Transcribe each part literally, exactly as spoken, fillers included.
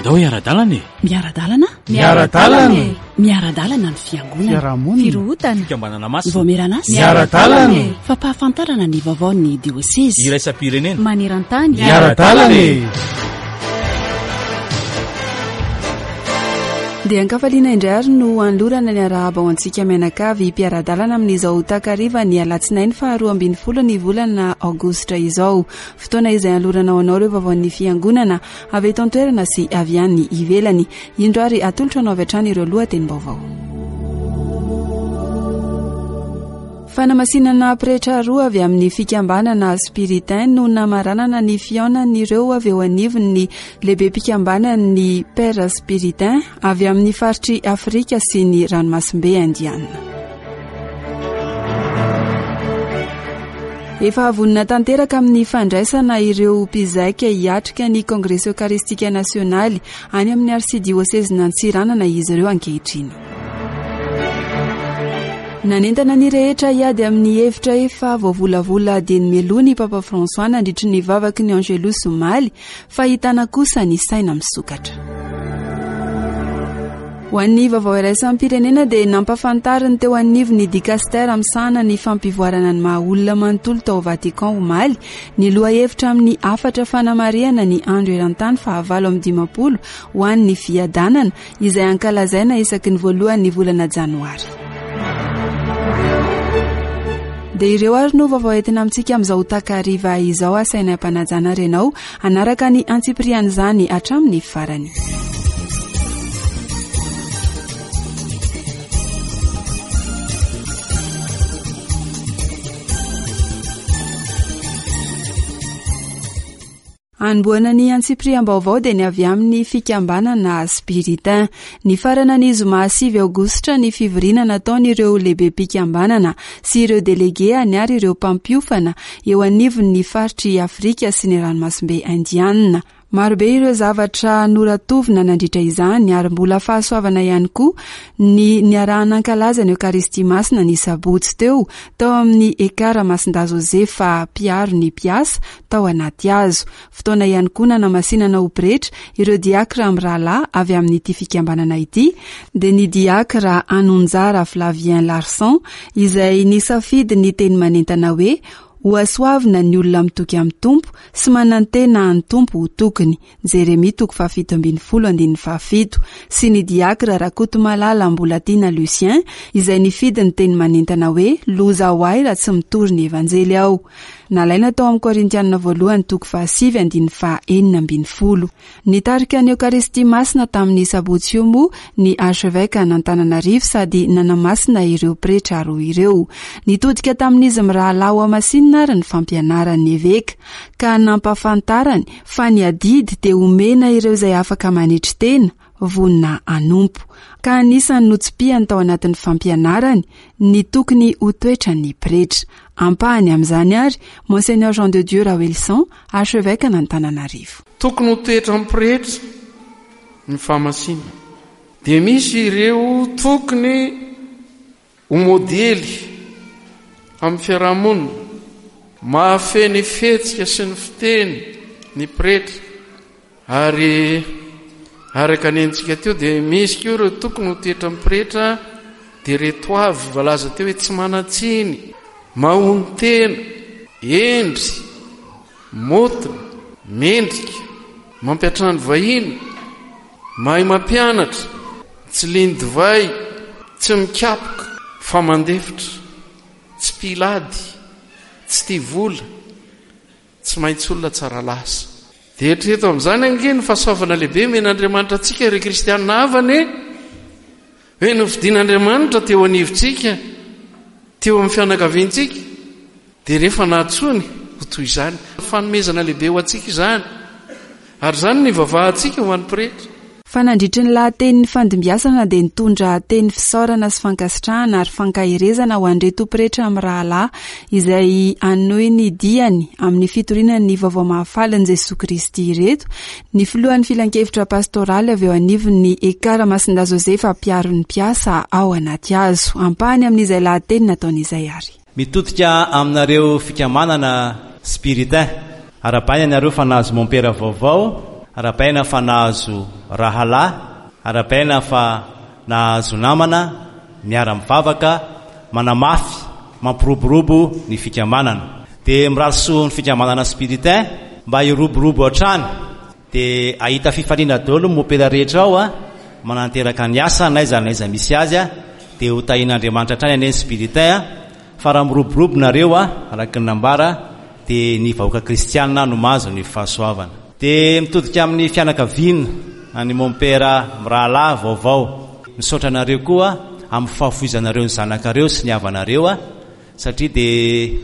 Andao hiara-dalana e! Miara-dalana? Miara-dalana e! Miara-dalana ny fiangonana. Fiarahamonina. Firohotana. Fikambanana masina. Vaomieran'asa. Miara-dalana e! Fampahafantarana ny vaovaon'ny diosezy. Iraisam-pirenena. Maneran-tany. Miara-dalana e! Dia ankafaliana indray ary no anolorana ny arahaba ho antsika mianakavy mpiara-dalana amin'izao takariva ny alatsinainy faharoa ambin'ny folo ny volana aogositra izao. Fotoana izay anolorana ho anao ireo vaovaon'ny fiangonana avy eto an-toerana sy avy any ivelany. Indro ary atolotra anao avy hatrany ireo lohatenim-baovao. Fanamasinana pretra roa avy amin'ny fikambanana Spiritain no namaranana ny fihaonan'ireo avy eo anivon'ny lehibem-pikambanan'ny Père Spiritain avy amin'ny faritry Afrika sy ny ranomasimbe Indiana. Efa vonona tanteraka amin'ny fandraisana ireo mpizaika hiatrika ny Kongresy Eucharistique Nasionaly any amin'ny Arsidiosezin'Antsiranana izy ireo ankehitriny. Nanentana ny rehetra hiady amin'ny hevitra efa voavolavola dieny mialoha ny Papa François nandritry ny vavaky ny Angelus omaly, fa ahitana kosa ny saina misokatra. Ho an'ny vaovao iraisam-pirenena dia nampahafantariny teo anivon'ny dikastera misahana ny fampivoarana ny maha olona manontolo tao Vatican omaly ny lohahevitra amin'ny hafatra fanamarihana ny andro eran-tany fahavalo amby dimampolo ho an'ny fiadanana izay ankalazaina isaky ny voalohan'ny volana janoary. Dia ireo ary no vaovao entina amintsika amin'izao takariva izao. Asaina am-panajana ary ianao hanaraka ny antsipirian'izany hatramin'ny farany. Anombohana ny antsipiriam-baovao dia ny avy amin'ny fikambanana Spiritain. Nifarana ny zoma sivy aogositra ny fivoriana nataon'ireo lehibem-pikambanana sy ireo delegeany ary ireo mpampiofana eo anivon'ny faritry Afrika sy ny ranomasimbe Indiana. Marobe ireo zavatra noratovina nandritra izany ary mbola fahasoavana ihany koa ny niaraha-nankalaza ny Eokaristia Masina ny sabotsy teo tao amin'ny Ekara Masindahy Josefa mpiaro ny mpiasa tao anaty hazo. Fotoana ihany koa nanamasinana ho pretra ireo diakra mirahalahy avy amin'ity fikambanana ity, dia ny diakra Anonjara Flavien Larson izay nisafidy ny teny manentana hoe ho hasoavina ny olona mitoky amin'ny Tompo sy manantena ny Tompo ho tokony. Jeremia toko fahafito ambin'ny folo andininy fahafito sy ny diakra Rakotomalala Mbolatiana Lucien izay nifidy ny teny manentana hoe loza ho ahy raha tsy mitory ny Evanjely aho. Nalaina tao amin'ny Korintianina voalohany toko fahasivy andininy fahaenina ambin'ny folo. Nitarika ny Eokaristia Masina tamin'ny sabotsy io moa ny archevêque an'Antananarivo sady nanamasina ireo pretra roa ireo. Nitodika tamin'izy mirahalahy ho hamasinina ary ny fampianaran'ny eveka ka nampahafantarany fa ny adidy dia omena ireo izay afaka manetry tena, vonona hanompo. Ka anisan'ny notsipihany tao anatin'ny fampianarany ny tokony ho toetran'ny pretra. Ampahany amin'izany ary Monseigneur Jean de Dieu Raoelison, archevêque an'Antananarivo. Tokony ho toetran'ny pretra ny fahamasinana. Dia misy ireo tokony ho modely amin'ny fiarahamonina, mahafehy ny fihetsika sy ny fiteny ny pretra. Ary araka ny henontsika teo dia misy koa ireo tokony ho toetran'ny pretra dia ireto avy voalaza teo hoe tsy manan-tsiny, mahonon-tena, hendry, maotina, mendrika, mampiantrano vahiny, mahay mampianatra, tsy lian-divay, tsy mikapoka fa mandefitra, tsy mpila ady, tsy tia vola, tsy maintsy olona tsara lasa. Dia eritrereto amin'izany ange ny fahasoavana lehibe omen'Andriamanitra antsika ireo kristianina havana e! Hoe nofidin'Andriamanitra teo anivontsika, teo amin'ny fianakaviantsika, dia rehefa nahantsoiny ho toy izany. Fanomezana lehibe ho antsika izany. Ary izany no ivavahantsika ho an'ny pretra. Fa nandritry ny lahatenin'ny fandimbiasana dia nitondra teny fisaorana sy fankasitrahana ary fankaherezana ho an'ireto pretra mirahalahy izay hanohy ny diany amin'ny fitoriana ny vaovao mahafalin'i Jesoa Kristy ireto ny filohan'ny filankevitra pastoraly avy eo anivon'ny Ekara Masindahy Josefa mpiaro ny mpiasa ao anaty hazo. Ampahany amin'izay lahateny nataon'izay ary. Mitodika aminareo fikambanana Spiritain. Arahabaina ianareo fa nahazo mompera vaovao Arahabaina fa nahazo rahalahy, arahabaina fa nahazo namana miara-mivavaka, manamafy, mampiroborobo ny fikambanana. Dia mirary soa ny fikambanana spiritain mba hiroborobo hatrany, dia hahita fifaliana daholo ny mopera rehetra ao a, mananteraka ny asa n'aiza n'aiza misy azy a, dia ho tahian'Andriamanitra hatrany anie ny spiritain a, fa raha miroborobo nareo a, araka ny nambara, dia ny vahoaka kristianina no mahazo ny fahasoavana. Dia mitodika amin'ny fianakaviana any mompera mirahalahy vaovao, misaotra anareo koa amin'ny fahafoizanareo ny zanakareo sy ny havanareo a, satria dia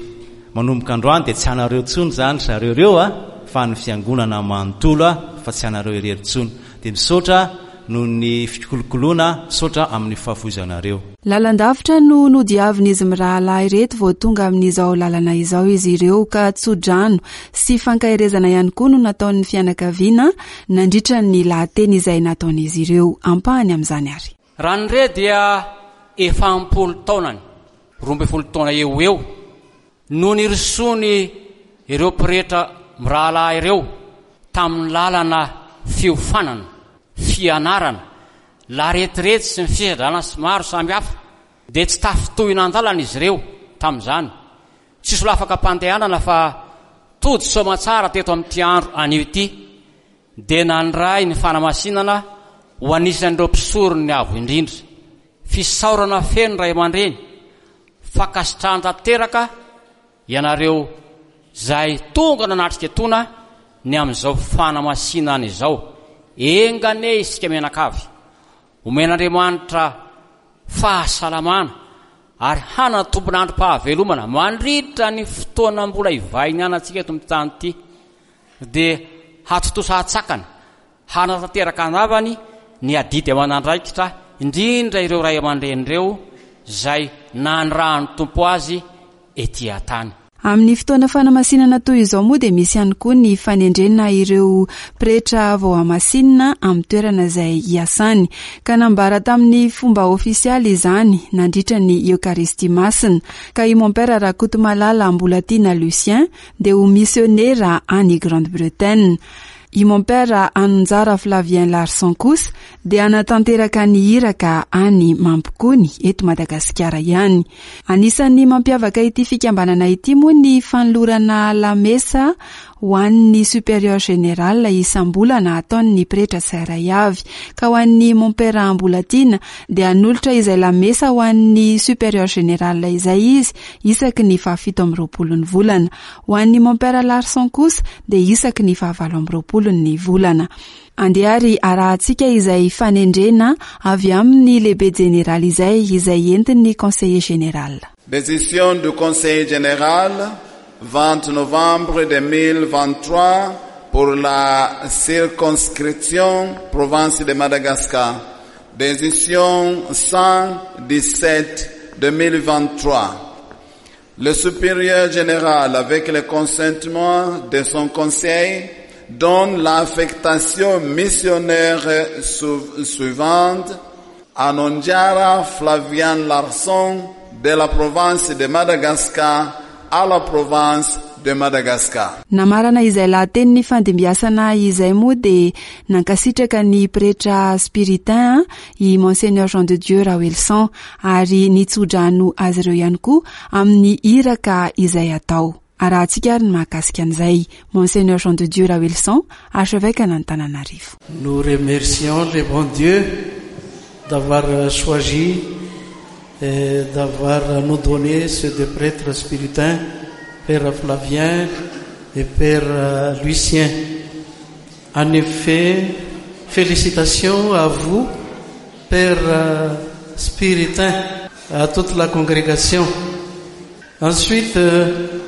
manomboka androany dia tsy anareo intsony zany zareo ireo a, fa ny fiangonana manontolo a, fa tsy anareo irery intsony. Dia misaotra noho ny fikolokoloana, misaotra amin'ny fahafoizanareo. Lalan-davitra no nodiavin'izy mirahalahy ireto vao tonga amin'izao lalana izao izy ireo, ka tsodrano sy fankaherezana ihany koa no nataon'ny fianakaviana nandritra ny lahateny izay nataon'izy ireo. Ampahany amin'izany ary. Raha ny re dia efa ampolo taonany, roa ambin'ny folo taona eo eo, no nirosoany ireo pretra mirahalahy ireo tamin'ny lalana fiofanana, fianarana, laretirety sy ny fisedrana maro samihafa, dia tsy tafintohina an-dalana izy ireo tamin'izany. Tsy solafaka am-pandehanana fa tody soamantsara teto amin'ity andro anio ity, dia nandray ny fanamasinana ho anisan'ireo mpisoron'ny avo indrindra. Fisaorana feno ray aman-dreny, fankasitrahana tanteraka ianareo izay tonga nanatrika etona ny amin'izao fanamasinana izao. Enga anie isika mianakavy omen'Andriamanitra fahasalamana ary hanana tompon'androm-pahavelomana mandritra ny fotoana mbola ivahinianantsika eto amin'ny tany ity, dia hatontosa hatsakana hanatanteraka anavany ny adidy aman'andraikitra, indrindra ireo ray aman-dreny ireo izay nanirahan'ny Tompo azy ety an-tany. Amin'ny fotoana fanamasinana toy izao moa dia misy ihany koa ny fanendrena ireo pretra voamasinina amin'ny toerana izay hiasany, ka nambara tamin'ny fomba ofisialy izany nandritra ny Eokaristia Masina, ka i Mompera Rakotomalala Mbolatiana Lucien dia ho misionera any Grande-Bretagne. I Mompera Anonjara Flavien Larson kosa dia hanatanteraka ny iraka any Mampikony eto Madagasikara ihany. Anisan'ny mampiavaka ity fikambanana ity moa ny fanolorana lamesa ho an'ny supérieur général isam-bolana ataon'ny pretra tsirairay avy, ka ho an'ny Mompera Mbolatiana dia hanolotra izay lamesa ho an'ny supérieur général izay izy isaky ny fahafito amby roapolo ny volana. Ho an'ny Mompera Larson kosa dia isaky ny fahavalo amby roapolo ny volana. Andeha ary arahantsika izay fanendrena avy amin'ny lehibe jeneraly izay, izay entin'ny conseiller général. Décision du conseil général vingt novembre deux mille vingt-trois pour la circonscription province de Madagascar. Décision cent dix-sept deux mille vingt-trois. Le supérieur général, avec le consentement de son conseil, donne l'affectation missionnaire suivante à Nonjara Flavien Larson de la province de Madagascar à la province de Madagascar. Namarana izay lahatenin'ny fandimbiasana izay moa dia nankasitraka ny pretra spiritain i Monseigneur Jean de Dieu Raoelison ary nitsodrano azy ireo ihany koa amin'ny iraka izay atao. Arahantsika ary ny mahakasika an'izay. Monseigneur Jean de Dieu Raoelison, archevêque an'Antananarivo. Nous remercions le bon Dieu d'avoir choisi et d'avoir nous donné ces deux prêtres spiritains, Père Flavien et Père Lucien. En effet, félicitations à vous, Père Spiritain, à toute la congrégation. Ensuite,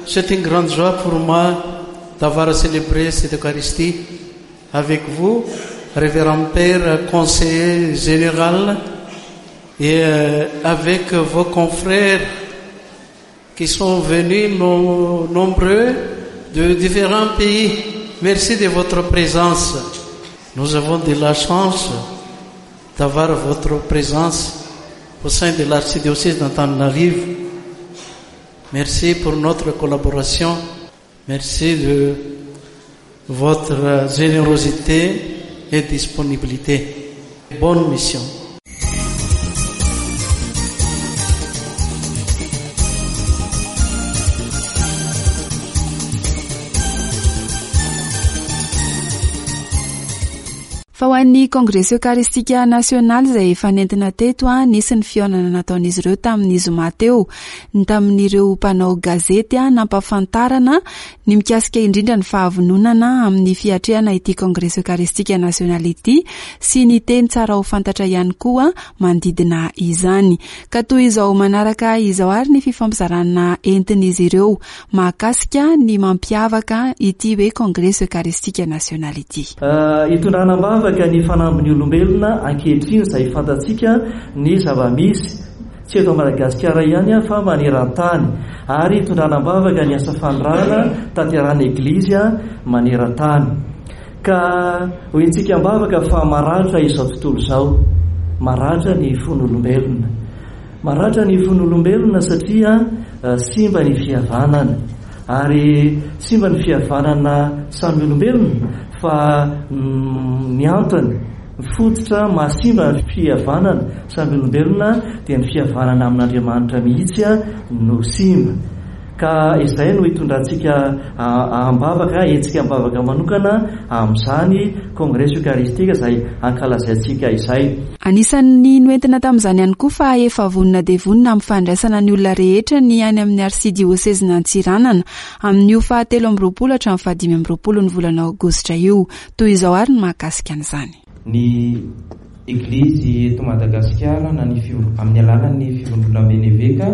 c'est une grande joie pour moi d'avoir célébré cette Eucharistie avec vous, Révérend Père, conseiller général, et avec vos confrères qui sont venus nombreux de différents pays. Merci de votre présence. Nous avons de la chance d'avoir votre présence au sein de l'archidiocèse d'Antananarivo. Merci pour notre collaboration. Merci de votre générosité et disponibilité. Bonne mission. Fa ho an'ny Kongresy Eokaristika Nasionaly izay efa nentina teto, a nisy ny fihaonana nataon'izy ireo tamin'ny zoma teo, ny tamin'ireo mpanao gazety a nampahafantarana ny mikasika indrindra ny fahavononana amin'ny fiatrehana ity Kongresy Eokaristika Nasionaly ity sy ny teny tsara ho fantatra ihany koa manodidina izany. Ka toy izao manaraka izao ary ny fifampizarana entin'izy ireo mahakasika ny mampiavaka ity hoe Kongresy Eokaristika Nasionaly ity. Hitondrana am-bavaka ny fanambin'ny olombelona ankehitriny izay fantatsika ny zava-misy tsy eto Madagasikara ihany fa maneran-tany, ary hitondrana am-bavaka ny asa fanirahana tanterahana eglizy maneran-tany. Ka hoentsika am-bavaka fa maratra izao tontolo izao, maratra ny fon'olombelona, maratra ny fon'olombelona satria simba ny fihavanana, ary simba ny fihavanana samy olombelona fa ny antony fototra mahasimba ny fihavanana samy olombelona dia ny fihavanana amin'Andriamanitra mihitsy no simba. Ka izay no hitondrantsika am-bavaka, hetsika am-bavaka manokana amin'izany Kongresy Eokaristika izay ankalazaintsika izay. Anisan'ny noentina tamin'izany ihany koa fa efa vonona dia vonona amin'ny fandraisana ny olona rehetra ny any amin'ny arsidiosezin'Antsiranana amin'io fahatelo amby roapolo hatramin'ny fahadimy amby roapolo ny volana aogositra io. Toy izao ary ny mahakasika an'izany. Ny Eglizy eto Madagasikara na ny amin'ny alalan'ny fivondronamben'ny eveka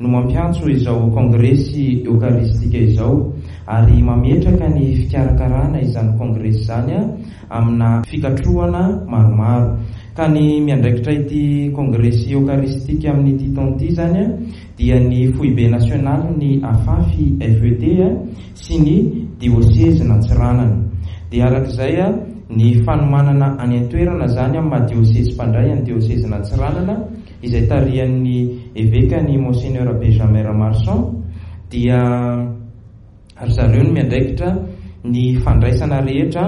no mampiantso izao Kongresy Eokaristika izao ary mametraka ny fikarakarana izany kongresy izany amina fikatrohana maromaro. Ka ny miandraikitra ity Kongresy Eokaristika amin'ity taona ity zany dia ny foibe nasionaly ny AFAFI F E T sy ny diosezin'Antsiranana. Dia arak'izay ny fanomanana any an-toerana zany amin'ny maha diosezy mpandray ny diosezin'Antsiranana izay tarihan'ny eveka ny Monseigneur Benjamin Ramarson dia ry zareo no miandraikitra ny fandraisana rehetra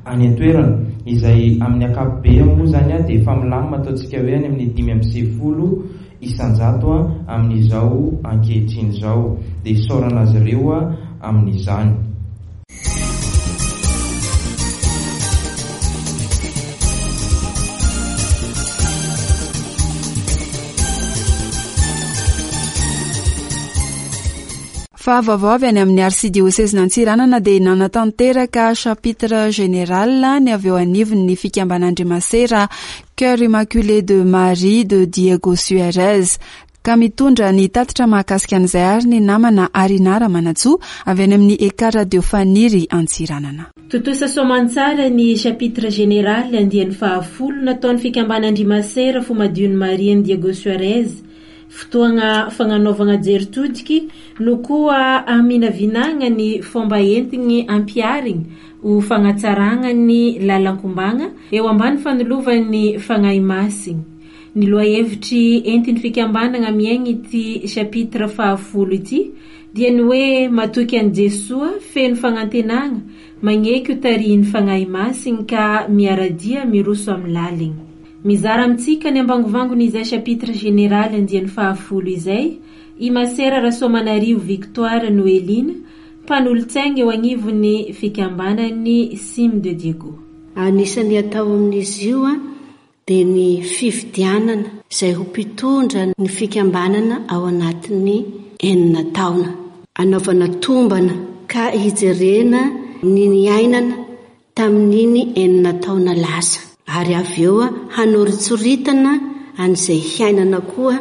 any an-toerana izay amin'ny ankapobeny moa zany dia efa milamina ataontsika hoe any amin'ny dimy amby sivifolo isanjato amin'izao ankehitriny izao. Dia isaorana azy ireo amin'izany. Fa vaovao avy any amin'ny arsidiosezin'Antsiranana dia nanatanteraka chapitre général ny avy eo anivon'ny fikambanan-dry Cœur Immaculé de Marie de Diego Suarez. Ka mitondra ny tatitra mahakasika an'izay ary ny namana Arina Ramanantsoa avy any amin'ny Eka Radio Faniry Antsiranana. Tontosa soamantsara ny chapitre général andiany fahafolo nataon'ny fikambanan-dry Masera Fomadion'i Marie an'i Diego Suarez. Fotoagna fagnanaovagna jery todiky no koa aminavinagna ny fomba entigny ampiharigny ho fagnatsaragna ny lalan-kombagna eo ambany fanolovan'ny Fagnahy Masina. Ny lohahevitry entin'ny fikambanana miaigny ity chapitre fahafolo ity dia ny hoe matoky an'i Jesoa feno fagnantenagna magneky ho tarihin'ny Fagnahy Masina ka miara-dia miroso amin'ny laligny. Mizara amintsika ny ambangovangony izay chapitre général andiany fahafolo izay i Masera Rasoamanarivo Victoire Noeline mpanolotsaina eo agnivon'ny fikambanan'ny Cime de Diego. Anisan'ny atao amin'izy io dia ny fifidianana izay ho mpitondra ny fikambanana ao anatin'ny enina taona. Anaovana tombana ka hijerena ny niainana tamin'iny enina taona lasa. Ary avy eo hanoritsoritana an'izay hiainana koa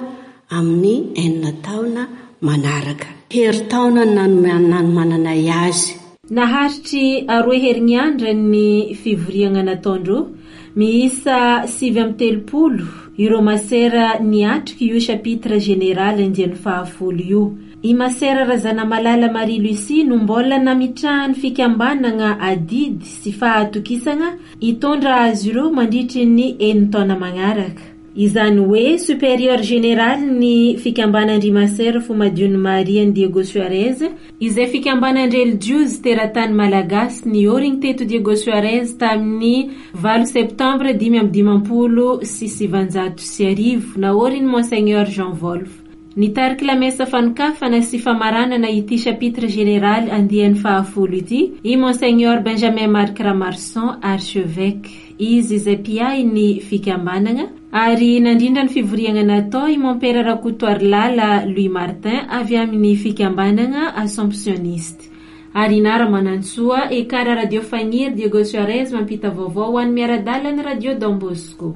amin'ny enina taona manaraka. Herintaona nanomananay azy. Naharitry aroe herinandro ny fivoriana nataondreo miisa sivy amby telopolo ireo masera niatrika io chapitre général andiany fahafolo io. I Masera Razanamalala Marie Lucie no mbola nametrahan'ny fikambanana adidy sy fahatokisana hitondra azy ireo mandritry ny enin-taona magnaraka. Izany hoe supérieur général ny fikambanan-dry Masera Fomadion'i Maria ny Diego Suarez, izay fikambanan-drelijiozy teratany malagasy niorigny teto Diego Suarez tamin'ny valo septambra dimy amby dimampolo sy sivanjato sy arivo, naoriny Monseigneur Jean Wolff. Nitariky lamesa fanokafana sy famaranana ity chapitre général andiany fahafolo ity i Monseigneur Benjamin Marc Ramarson, archevêque. Izy izay mpiahy ny fikambanana ary nandrindra ny fivoriana natao i Mompera Rakotoarilala Louis Martin avy amin'ny fikambanana Assomptionniste. Ary Nara Manantsoa, Ekara Radio Fagniry Diego Suarez mampita vaovao ho an'ny miara-dalana Radio Don Bosco.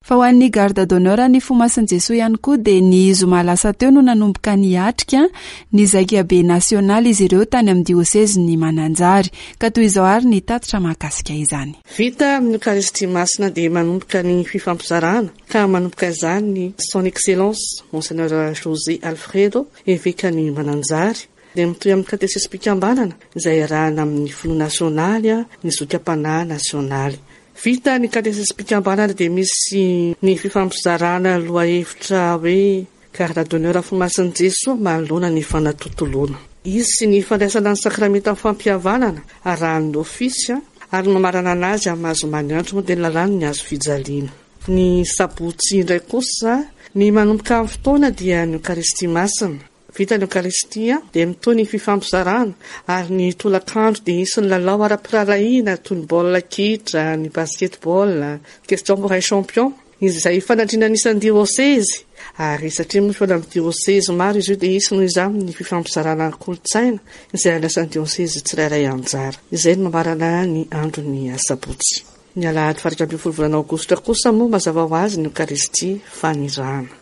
Fa ho an'ny garde d'honneur ny Fomasin'i Jesoa ihany koa dia ny zoma lasa teo no nanomboka niatrika ny zaikabe nasionaly izy ireo tany amin'ny diosezin'ny Mananjary. Ka toy izao ary ny tatitra mahakasika izany. Vita amin'ny Eucharistie masina dia manomboka ny fifampizarana ka manomboka izany ny Son Excellence Monseigneur José Alfredo, evekan'ny Mananjary. Dia mitohy amin'ny katesesim-pikambanana izay iarahana amin'ny filoha nasionaly, ny zokiam-panahy nasionaly. Vita ny katesesim-pikambanana dia misy ny fifampizarana lohahevitra hoe garde d'honneur Fomasin'i Jesoa manoloana ny fanatontoloana. Izy sy ny fandraisana ny sakramenta fampihavanana arahan'ny ofisy ary mamarana anazy amin'ny maha zoma ny andro moa dia ny lalàna ny hazo fijaliana. Ny sabotsy indray kosa ny manomboka amin'ny fotoana dia ny Eucharistie masina. Vita ny Eucharistie dia mitohy ny fifampizarana ary ny tolakandro dia hisy ny lalao ara-pirahalahiana toy ny baolina kitra, ny basketball, question pour un champion izay fanadrinana isan'ny diosezy. Ary satria moa fihaonana amin'ny diosezy maro izy io dia hisy noho izany ny fifampizarana ny kolontsaina izay andrasan'ny diosezy tsirairay anjara. Izay no mamarana ny andron'ny asabotsy. Ny alahady faha iraika ambin'ny folo volana aogositra kosa moa mazava ho azy ny Eucharistie fanirahana.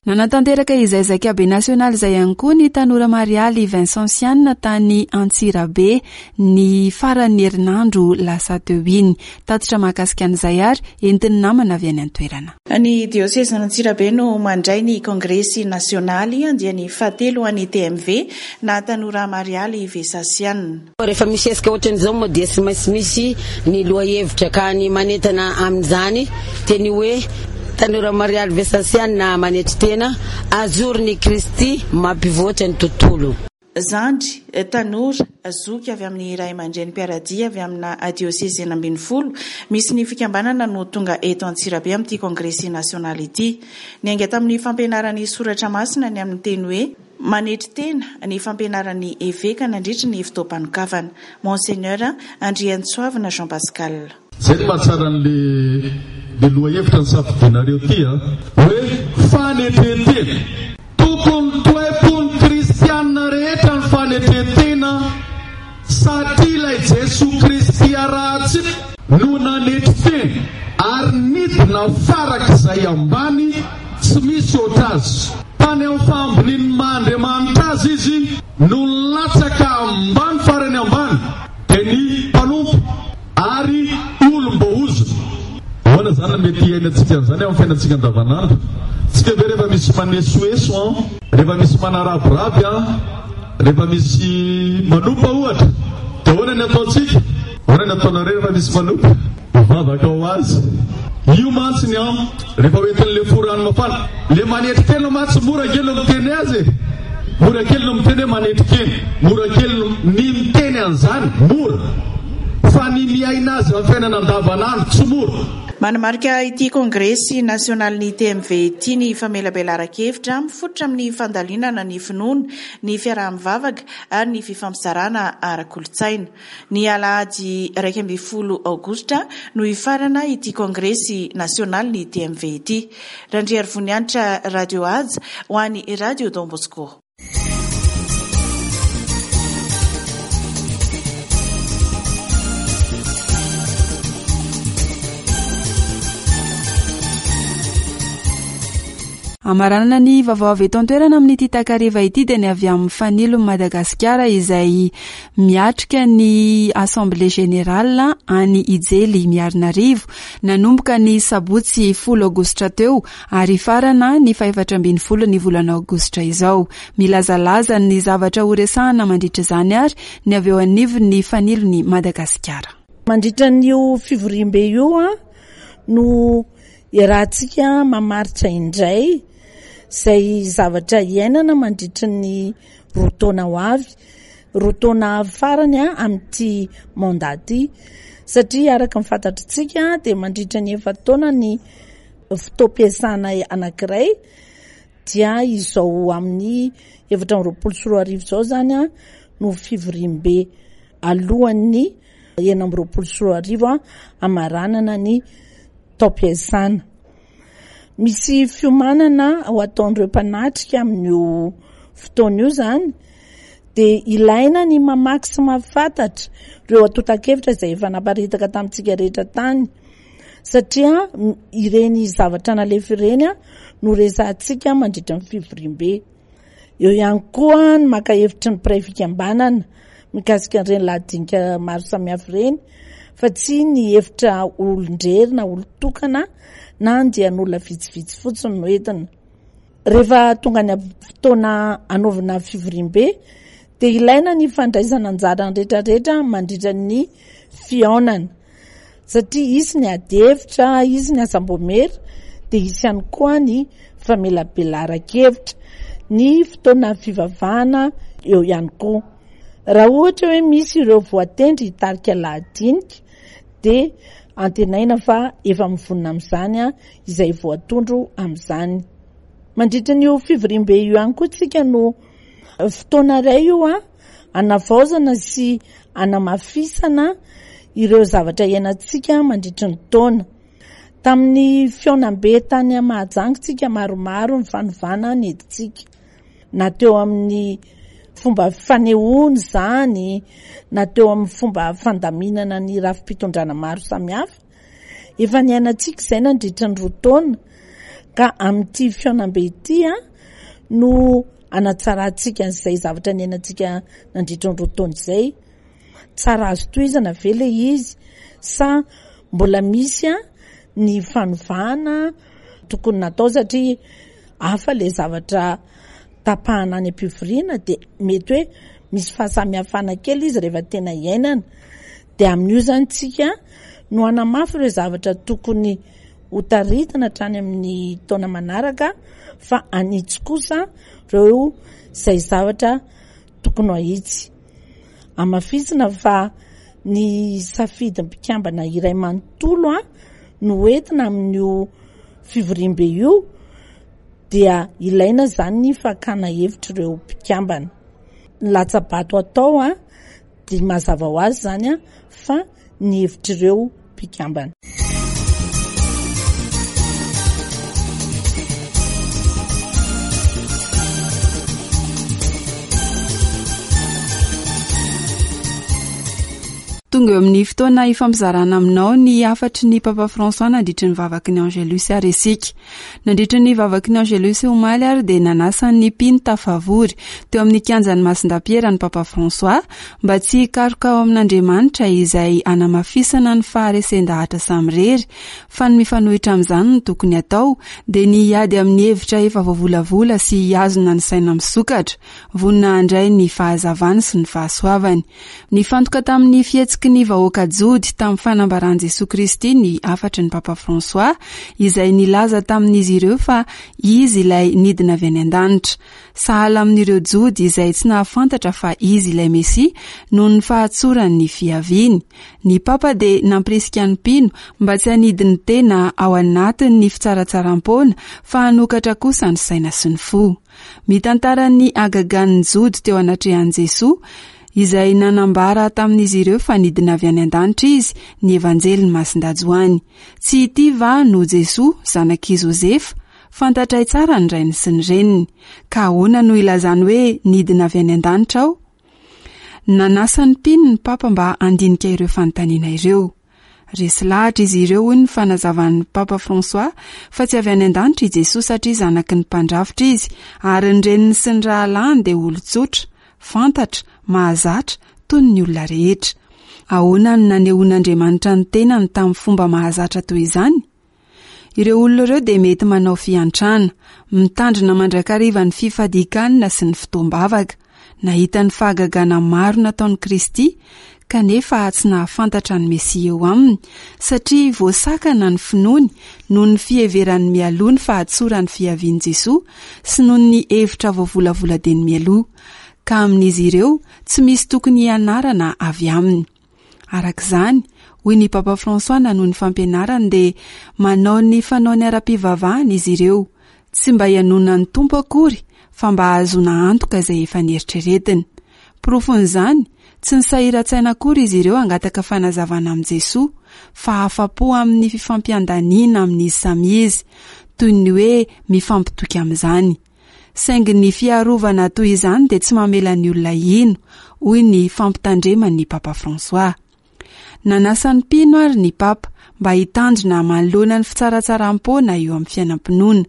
Nanatanteraka izay zaikabe nasionaly izay ihany koa ny tanora Marialy Vincentiana tany Antsirabe ny faran'ny herinandro lasa teo iny. Tatitra mahakasika an'izay ary entin'ny namana avy any an-toerana. Ny diosezin'Antsirabe no mandray ny kongresy nasionaly andiany fahatelo an'ny T M V na tanora Marialy Vincentiana. Rehefa misy hetsika ohatran'izao moa dia tsy maintsy misy ny lohahevitra ka ny manentana amin'izany teny hoe tanora Marialy Vincentiana manetry tena azoron'i Kristy mampivoatra ny tontolo. Zandry, tanora, zoky avy amin'ny ray aman-dreny mpiara-dia avy amina diosezy enina ambin'ny folo misy ny fikambanana no tonga eto Antsirabe amin'ity kongresy nasionaly ity. Niainga tamin'ny fampianaran'ny soratra masina ny amin'ny teny hoe manetry tena ny fampianaran'ny eveka nandritry ny fotoam-panokafana. Monseigneur Andriantsoavina Jean Pascal. Zay no mahatsara an'le le lohahevitra ny safidinareo ty a, hoe fanetren-tena. Tokony toe-pon'ny kristianina rehetra ny fanetren-tena satria ilay Jesoa Kristy arahantsika no nanetry tena ary nidina farak'izay ambany tsy misy oatra azy. Tany amin'ny fahambonian'ny maha Andriamanitra azy izy no nilatsaka ambany farany ambany dia ny mpanompo ary olom-boahozona. Ahoana izany no mety hiainantsika an'izany amin'ny fiainantsika andavanandro? Tsika ve rehefa misy manesoeso an, rehefa misy manarabiraby an, rehefa misy manompa ohatra, dia ahoana ny ataontsika? Ahoana ny ataonareo rehefa misy manompa? Mivavaka ho azy. Io mantsy ny an, rehefa hoentin'ilay fo rano mafana, le manetry tena mantsy mora kely no miteny azy e. Mora kely no miteny hoe manetry tena, mora kely no ny miteny an'izany, mora. Fa ny miaina azy amin'ny fiainana andavanandro tsy mora. Manamarika ity kongresy nasionalin'ny T M V ity ny famelabelaran-kevitra mifototra amin'ny fandalinana ny finoana, ny fiaraha-mivavaka ary ny fifampizarana ara-kolontsaina. Ny alahady iraika ambin'ny folo aogositra no hifarana ity kongresy nasionalin'ny T M V ity. Randriarivonianitra Radio Haja ho an'ny Radio Don Bosco. Amaranana ny vaovao avy eto an-toerana amin'ity takariva ity dia ny avy amin'ny Fanilon'i Madagasikara izay miatrika ny Assemblée Générale any Ijely Miarinarivo nanomboka ny sabotsy folo aogositra teo ary farana ny fahefatra ambin'ny folo ny volana aogositra izao. Milazalaza ny zavatra horesahana mandritra izany ary ny avy eo anivon'ny Fanilon'i Madagasikara. Mandritra an'io fivoriambe io no iarahantsika mamaritra indray izay zavatra iainana mandritra ny roa taona ho avy, roa taona farany amin'ity mandat ity, satria araka ny fantatritsika dia mandritra ny efa-taona ny fotoam-piasana anankiray dia izao amin'ny efatra amby roapolo sy roa arivo izao izany no fivoriambe alohan'ny enina amby roapolo sy roa arivo hamaranana ny taom-piasana. Misy fiomanana ho ataon'ireo mpanatrika amin'io fotoana io izany dia ilaina ny mamaky sy mahafantatra ireo antontan-kevitra izay efa naparitaka tamintsika rehetra tany, satria ireny zavatra nalefa ireny no resahantsika mandritra ny fivoriambe. Eo ihany koa ny maka hevitry ny mpiray fikambanana mikasika an'ireny lahadinika maro samihafa ireny, fa tsy ny hevitra olon-drery na olon-tokana na andian'olona vitsivitsy fotsiny no entina. Rehefa tonga ny fotoana hanaovana fivoriambe dia ilaina ny fandraisana anjara ny rehetrarehetra mandritra ny fihaonana, satria hisy ny ady hevitra, hisy ny asam-boamera, dia hisy ihany koa ny famelabelaran-kevitra, ny fotoana fivavahana eo ihany koa. Raha ohatra hoe misy ireo voatendry hitarika lahadinika dia antenaina fa efa mivonona amin'izany izay voatondro amin'izany. Mandritra an'io fivoriambe io ihany koa tsika no fotoana iray io hanavaozana sy hanamafisana ireo zavatra iainantsika mandritry ny taona. Tamin'ny fihaonambe tany Mahajanga tsika maromaro ny fanovana nentintsika, na teo amin'ny fomba fanehoana izany, na teo amin'ny fomba fandaminana ny rafi-pitondrana maro samihafa. Efa niainantsika izay nandritra ny roa taona, ka amin'ity fihaonambe ity no hanatsarantsika an'izay zavatra niainantsika nandritra ny roa taona izay. Tsara azo tohizana ve ilay izy sa mbola misy ny fanovana tokony natao, satria hafa ilay zavatra tapahana any am-pivoriana dia mety hoe misy fahasamihafana kely izy rehefa tena iainana. Dia amin'io izany tsika no hanamafy ireo zavatra tokony ho taritina hatrany amin'ny taona manaraka, fa hanitsy kosa ireo izay zavatra tokony ho ahitsy. Hamafisina fa ny safidin'ny mpikambana iray manontolo no entina amin'io fivoriambe io, dia ilaina izany ny fakana hevitr'ireo mpikambana. Ny latsa-bato atao dia mazava ho azy izany fa ny hevitr'ireo mpikambana. Tonga eo amin'ny fotoana ifampizarana aminao ny hafatry ny Papa François nandritry ny vavaky ny Angelus ary isika. Nandritry ny vavaky ny Angelus omaly ary dia nanasa ny mpino tafavory teo amin'ny kianjan'ny Masindapiera ny Papa François mba tsy hikaroka ao amin'Andriamanitra izay hanamafisana ny faharesen-dahatra samirery, fa ny mifanohitra amin'izany no tokony atao, dia ny hiady amin'ny hevitra efa voavolavola sy hihazona ny saina misokatra, vonona handray ny fahazavany sy ny fahasoavany. Nifantoka tamin'ny fihetsiky ny vahoaka jody tamin'ny fanambaran'i Jesoa Kristy ny hafatry ny Papa François, izay nilaza tamin'izy ireo fa izy ilay nidina avy any an-danitra. Sahala amin'ireo jody izay tsy nahafantatra fa izy ilay Mesia noho ny fahatsoran'ny fiaviany. Ny Papa dia nampirisika ny mpino mba tsy hanidy ny tena ao anatin'ny fitsaratsaram-poana fa hanokatra kosa ny saina sy ny fo. Mitantara ny hagagan'ny jody teo anatrehan'i Jesoa, izay nanambara tamin'izy ireo fa nidina avy any an-danitra izy, ny Evanjelin'i Masindahy Joany. Tsy ity va no Jesoa, zanak'i Josefa? Fantatray tsara ny rainy sy ny reniny. Ka ahoana no ilazany hoe nidina avy any an-danitra aho? Nanasa ny mpino ny Papa mba handinika ireo fanontaniana ireo. Resy lahatra izy ireo, hoy ny fanazavan'ny Papa François, fa tsy avy any an-danitra i Jesoa satria zanaky ny mpandrafitra izy, ary ny reniny sy ny rahalahiny dia olon-tsotra, fantatra, mahazatra, toy ny olona rehetra. Ahoana no nanehoan'Andriamanitra ny tenany tamin'ny fomba mahazatra toy izany? Ireo olona ireo dia mety manao fiantrana, mitandrina mandrakariva ny fifadian-kanina sy ny fotoam-bavaka, nahita ny fahagagana maro nataon'i Kristy, kanefa tsy nahafantatra ny Mesia eo aminy, satria voasakana ny finoany noho ny fiheverany mialoha ny fahatsoran'ny fiavian'i Jesoa sy noho ny hevitra voavolavola dieny mialoha, ka amin'izy ireo tsy misy tokony hianarana avy aminy. Araka izany, hoy ny Papa François nanohy ny fampianarany, dia manao ny fanaony ara-pivavahana izy ireo, tsy mba hianona ny Tompo akory fa mba hahazoana antoka izay efa nieritreretiny. Porofon'izany, tsy nisahiran-tsaina akory izy ireo hangataka fanazavana amin'i Jesoa, fa afa-po amin'ny fifampiandaniana amin'izy samy izy, toy ny hoe mifampitoky amin'izany. Saingy ny fiarovana toy izany dia tsy mamela ny olona hino, hoy ny fampitandreman'ny Papa François. Nanasa ny mpino ary ny Papa mba hitandrina manoloana ny fitsaratsaram-poana eo amin'ny fiainam-pinoana.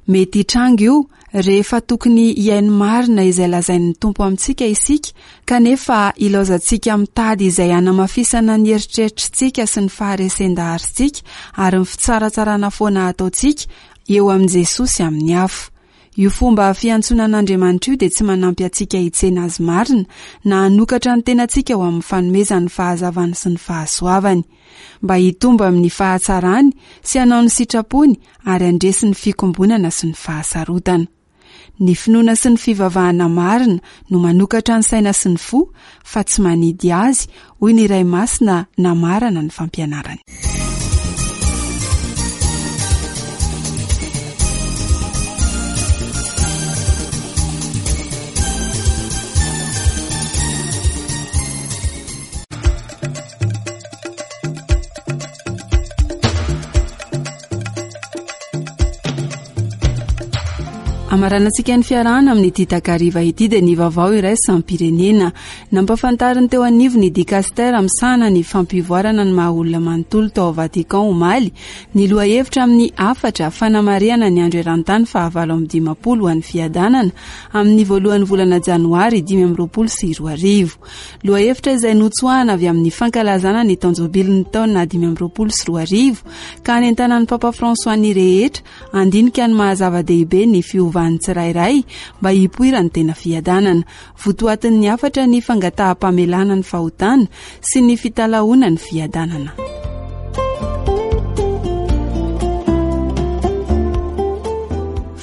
Mety hitranga io rehefa tokony hihaino marina izay lazain'ny Tompo amintsika isika, kanefa ilaozantsika mitady izay hanamafisana ny eritreritritsika sy ny faharesen-daharintsika ary ny fitsaratsarana foana ataontsika eo amin'i Jesoa sy amin'ny hafa. Io fomba fiantsoana an'Andriamanitra io dia tsy manampy antsika hitsena azy marina na hanokatra ny tenantsika ho amin'ny fanomezan'ny fahazavany sy ny fahasoavany, mba hitombo amin'ny fahatsarany sy hanao ny sitrapony ary handresy ny fikombonana sy ny fahasarotana. Ny finoana sy ny fivavahana marina no manokatra ny saina sy ny fo fa tsy manidy azy, hoy ny Ray Masina namarana ny fampianarany. Amaranantsika ny fiarahana amin'ity takariva ity dia ny vaovao iraisam-pirenena. Nampahafantariny teo anivon'ny dikastera misahana ny fampivoarana ny maha olona manontolo tao Vatican omaly ny lohahevitra amin'ny hafatra fanamarihana ny andro eran-tany fahavalo amby dimampolo ho an'ny fiadanana amin'ny voalohan'ny volana janoary dimy amby roapolo sy roa arivo. Lohahevitra izay notsoahana avy amin'ny fankalazana ny taon-jobilin'ny taona dimy amby roapolo sy roa arivo ka hanentanan'ny Papa François ny rehetra handinika ny maha zava-dehibe ny fiovan'ny tsirairay mba hipoiran'ny tena fiadanana. Votoatin'ny hafatra ny fangataham-pamelana ny fahotana sy ny fitalahoana ny fiadanana.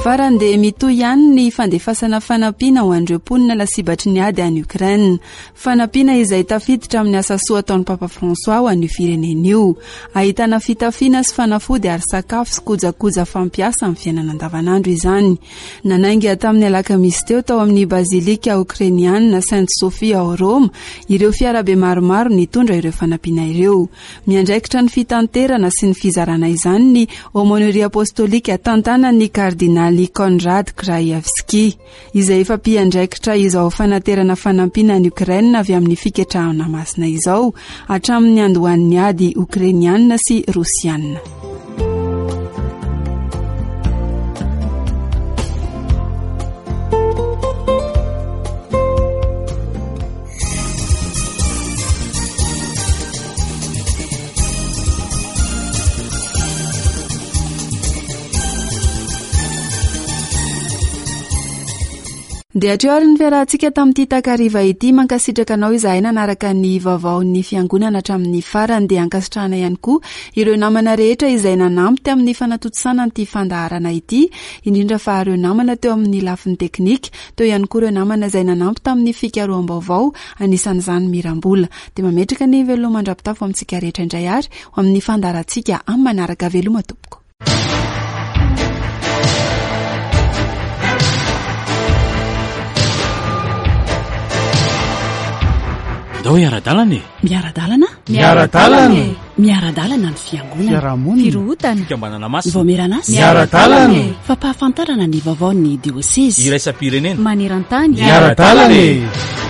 Farany dia mitohy ihany ny fandefasana fanampiana ho an'ireo mponina lasibatry ny ady any Ukraine. Fanampiana izay tafiditra amin'ny asa soa ataon'ny Papa François ho an'io firenena io. Ahitana fitafiana sy fanafody ary sakafo sy kojakoja fampiasa amin'ny fiainana andavanandro izany. Nanainga tamin'ny alakamisy teo tao amin'ny Bazilika Okrainiana Sainte Sophie ao Roma ireo fiarabe maromaro nitondra ireo fanampiana ireo. Miandraikitra ny fitanterana sy ny fizarana izany ny Aumônerie Apostolika tantanan'ny kardinaly Konrad Krajewski, izay efa mpiandraikitra izao fanaterana fanampiana any Ukraine avy amin'ny fiketrahana masina izao hatramin'ny andohan'ny ady Okrainiana sy Rosiana. Dia hatreo ary ny fiarahantsika tamin'ity takariva ity. Mankasitraka anao izahay nanaraka ny vaovaon'ny fiangonana hatramin'ny farany. Dia ankasitrahana ihany koa ireo namana rehetra izay nanampy tamin'ny fanatontosana an'ity fandaharana ity, indrindra fa ireo namana teo amin'ny lafiny teknika, teo ihany koa ireo namana izay nanampy tamin'ny fikaroham-baovao, anisan'izany Mirambola. Dia mametraka ny veloma mandra-pitafo amintsika rehetra indray ary ho amin'ny fandaharantsika amin'ny manaraka. Veloma tompoko. Ndao hiara-dalana e. Miara-dalana? Miara-dalana e. Miara-dalana ny fiangonana. Fiarahamonina. Firohotana. Fikambanana masina. Vaomieran'asa. Miara-dalana e. Fampahafantarana ny vaovaon'ny diosezy. Iraisam-pirenena. Maneran-tany. Miara-dalana e.